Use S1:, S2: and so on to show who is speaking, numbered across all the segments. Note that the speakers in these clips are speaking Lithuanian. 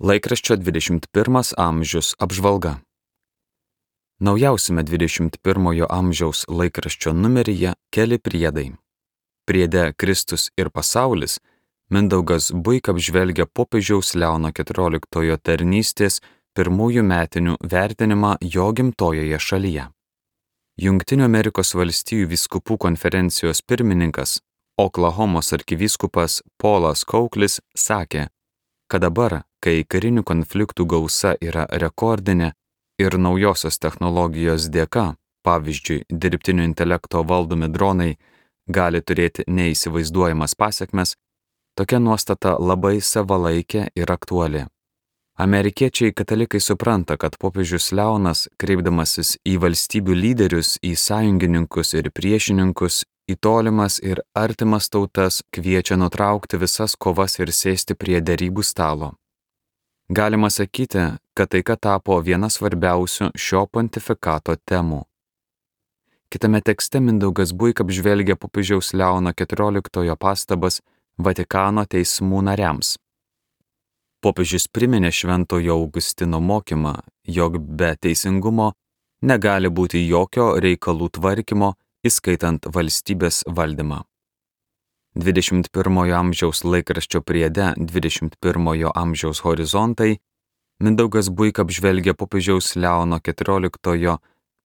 S1: Laikraščio 21 amžius apžvalga. Naujausiame 21 amžiaus laikraščio numeryje keli priedai. Priede Kristus ir pasaulis Mindaugas Buika apžvelgia popiežiaus Leono XIV tarnystės pirmųjų metinių vertinimą jo gimtojoje šalyje. Jungtinių Amerikos valstijų vyskupų konferencijos pirmininkas, Oklahomos arkivyskupas Polas Kauklis sakė, kad dabar, kai karinių konfliktų gausa yra rekordinė ir naujosios technologijos dėka, pavyzdžiui, dirbtinio intelekto valdomi dronai, gali turėti neįsivaizduojamas pasekmes, tokia nuostata labai savalaikė ir aktuali. Amerikiečiai katalikai supranta, kad popiežius Leonas, kreipdamasis į valstybių lyderius, į sąjungininkus ir priešininkus, į tolimas ir artimas tautas kviečia nutraukti visas kovas ir sėsti prie derybų stalo. Galima sakyti, kad taika tapo viena svarbiausių šio pontifikato temų. Kitame tekste Mindaugas Buika apžvelgia popiežiaus Leono XIV pastabas Vatikano teismų nariams. Popiežius priminė Šventojo Augustino mokymą, jog be teisingumo negali būti jokio reikalų tvarkymo, įskaitant valstybės valdymą. 21 amžiaus laikraščio priede 21 amžiaus horizontai Mindaugas Buika apžvelgia popiežiaus Leono XIV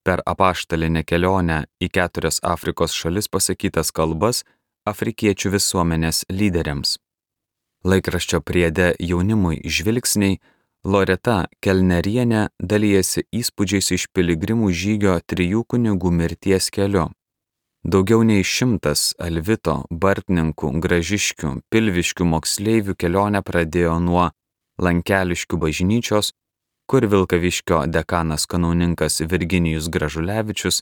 S1: per apaštalinę kelionę į 4 Afrikos šalis pasakytas kalbas afrikiečių visuomenės lyderiams. Laikraščio priede jaunimui žvilgsniai Loreta Kelnerienė dalijasi įspūdžiais iš piligrimų žygio 3 kunigų mirties keliu. Daugiau nei 100 Alvito, Bartninkų, Gražiškių, Pilviškių moksleivių kelionę pradėjo nuo Lankeliškių bažnyčios, kur Vilkaviškio dekanas kanauninkas Virginijus Gražulevičius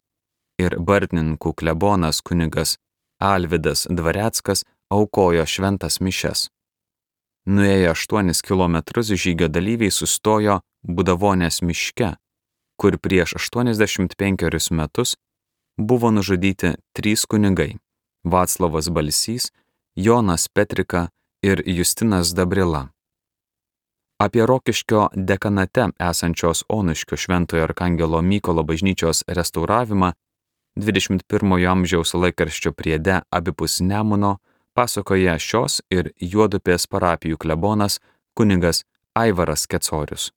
S1: ir Bartninkų klebonas kunigas Alvydas Dvareckas aukojo šventas mišias. Nuėję 8 kilometrus žygio dalyviai sustojo Budavonės miške, kur prieš 85 metus buvo nužudyti 3 kunigai – Vaclovas Balsys, Jonas Petrika ir Justinas Dabrila. Apie Rokiškio dekanate esančios Onuškio Šventojo Arkangelo Mykolo bažnyčios restauravimą 21 amžiaus laikraščio priede abipus Nemuno pasakoja šios ir Juodupės parapijų klebonas kunigas Aivaras Kecorius.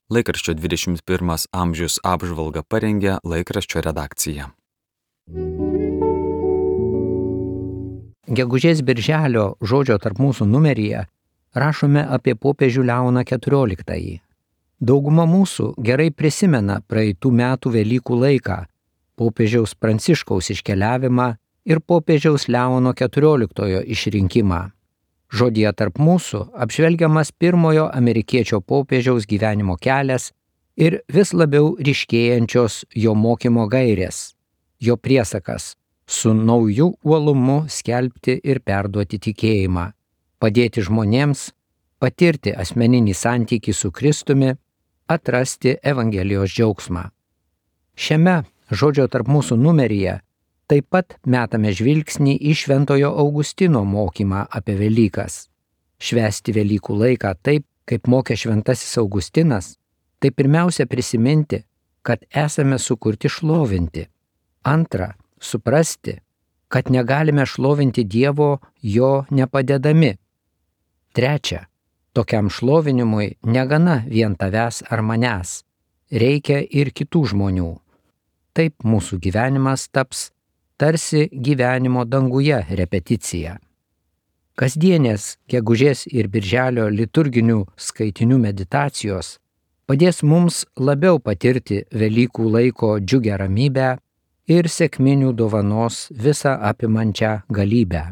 S1: Laikraščio 21 amžius apžvalgą parengė laikraščio redakcija.
S2: Gegužės birželio žodžio tarp mūsų numeryje rašome apie popiežių Leoną XIV. Dauguma mūsų gerai prisimena praeitų metų Velykų laiką, popiežiaus Pranciškaus iškeliavimą ir popiežiaus Leono XIV išrinkimą. Žodyje tarp mūsų apžvelgiamas pirmojo amerikiečio popiežiaus gyvenimo kelias ir vis labiau ryškėjančios jo mokymo gairės, jo priesakas su nauju uolumu skelbti ir perduoti tikėjimą, padėti žmonėms, patirti asmeninį santykį su Kristumi, atrasti Evangelijos džiaugsmą. Šiame žodžio tarp mūsų numeryje taip pat metame žvilgsnį į Šventojo Augustino mokymą apie Velykas. Švęsti Velykų laiką taip, kaip mokė Šventasis Augustinas, tai pirmiausia prisiminti, kad esame sukurti šlovinti. Antra, suprasti, kad negalime šlovinti Dievo jo nepadedami. Trečia, tokiam šlovinimui negana vien tavęs ar manęs, reikia ir kitų žmonių. Taip mūsų gyvenimas taps tarsi gyvenimo danguje repeticija. Kasdienės gegužės ir birželio liturginių skaitinių meditacijos padės mums labiau patirti Velykų laiko džiugią ramybę ir sekminių dovanos visą apimančią galybę.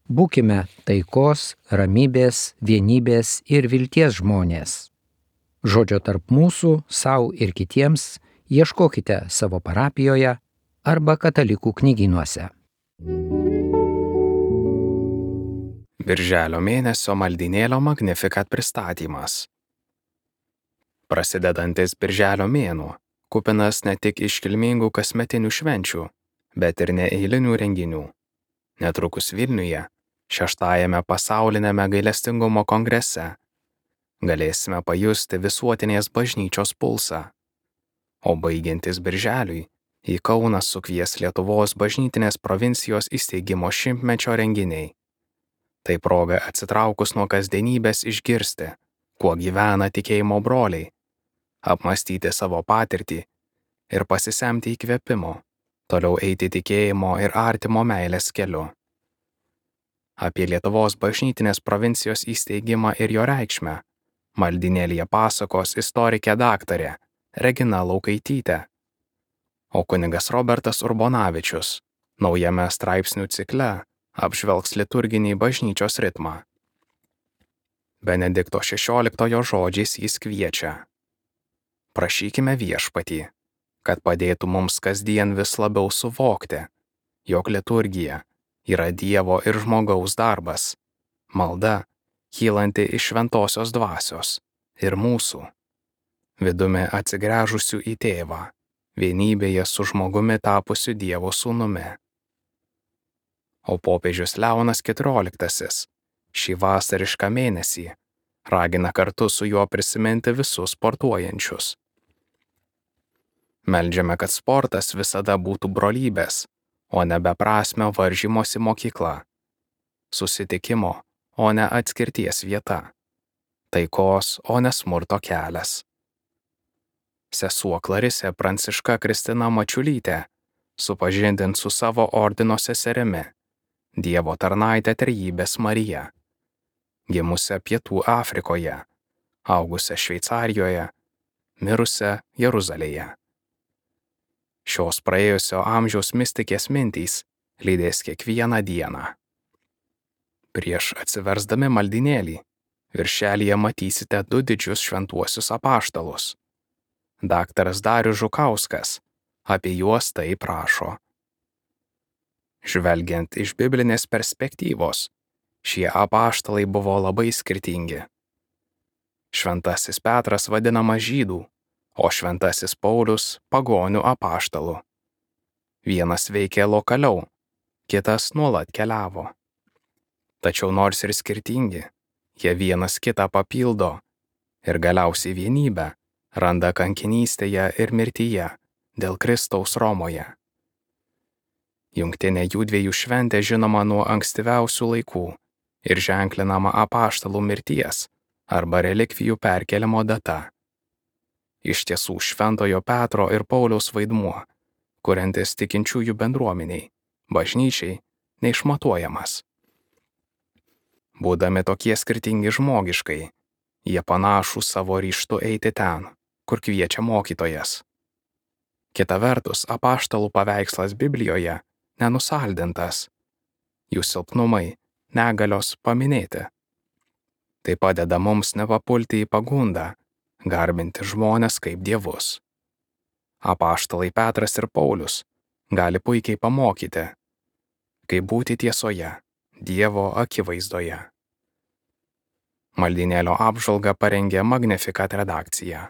S2: Būkime taikos, ramybės, vienybės ir vilties žmonės. Žodžio tarp mūsų, sau ir kitiems ieškokite savo parapijoje arba katalikų knygynuose.
S3: Birželio mėnesio maldynėlio Magnificat pristatymas. Prasidedantis birželio mėnuo, kupinas ne tik iškilmingų kasmetinių švenčių, bet ir neeilinių renginių. Netrukus Vilniuje, 6. pasaulinėme gailestingumo kongrese, galėsime pajusti visuotinės bažnyčios pulsą. O baigiantis birželiui, į Kauną sukvies Lietuvos bažnytinės provincijos įsteigimo 100-mečio renginiai. Tai proga atsitraukus nuo kasdienybės išgirsti, kuo gyvena tikėjimo broliai, apmąstyti savo patirtį ir pasisemti įkvėpimo, toliau eiti tikėjimo ir artimo meilės keliu. Apie Lietuvos bažnytinės provincijos įsteigimą ir jo reikšmę maldynėlyje pasakos istorikė daktarė Regina Laukaitytė, o kunigas Robertas Urbonavičius naujame straipsnių cikle apžvelgs liturginį bažnyčios ritmą. Benedikto XVI žodžiais jis kviečia: prašykime Viešpatį, kad padėtų mums kasdien vis labiau suvokti, jog liturgija yra Dievo ir žmogaus darbas, malda, kylanti iš šventosios dvasios ir mūsų, vidumi atsigręžusių į tėvą, vienybėje su žmogumi tapusiu Dievo sūnumi. O popiežius Leonas XIV šį vasarišką mėnesį ragina kartu su juo prisiminti visus sportuojančius. Meldžiame, kad sportas visada būtų brolybės, o ne beprasmio varžymosi mokykla, susitikimo, o ne atskirties vieta, taikos, o ne smurto kelias. Sesuo Klarisė Pranciška Kristina Mačiulytė supažindins su savo ordino seserimi, Dievo tarnaitė Trejybės Marija, gimusią Pietų Afrikoje, augusią Šveicarijoje, mirusią Jeruzalėje. Šios praėjusio amžiaus mistikės mintys lydės kiekvieną dieną. Prieš atsiversdami maldynėlį, viršelyje matysite 2 didžius šventuosius apaštalus. Daktaras Darius Žukauskas apie juos taip rašo: žvelgiant iš biblinės perspektyvos, šie apaštalai buvo labai skirtingi. Šventasis Petras vadinamas žydų, o šventasis Paulius pagonių apaštalu. Vienas veikė lokaliau, kitas nuolat keliavo. Tačiau nors ir skirtingi, jie vienas kitą papildo ir galiausiai vienybę randa kankinystėje ir mirtyje dėl Kristaus Romoje. Jungtinė jų dviejų šventė žinoma nuo ankstyviausių laikų ir ženklinama apaštalų mirties arba relikvijų perkeliamo data. Iš tiesų šventojo Petro ir Pauliaus vaidmuo, kuriantis tikinčiųjų bendruomeniai, bažnyčiai, neišmatuojamas. Būdami tokie skirtingi žmogiškai, jie panašų savo ryžtu eiti ten, kur kviečia mokytojas. Kita vertus, apaštalų paveikslas Biblijoje nenusaldintas, jų silpnumai, negalios paminėti. Tai padeda mums nepapulti į pagundą, garbinti žmones kaip dievus. Apaštalai Petras ir Paulius gali puikiai pamokyti, kaip būti tiesoje, Dievo akivaizdoje. Maldynėlio apžvalgą parengė Magnificat redakcija.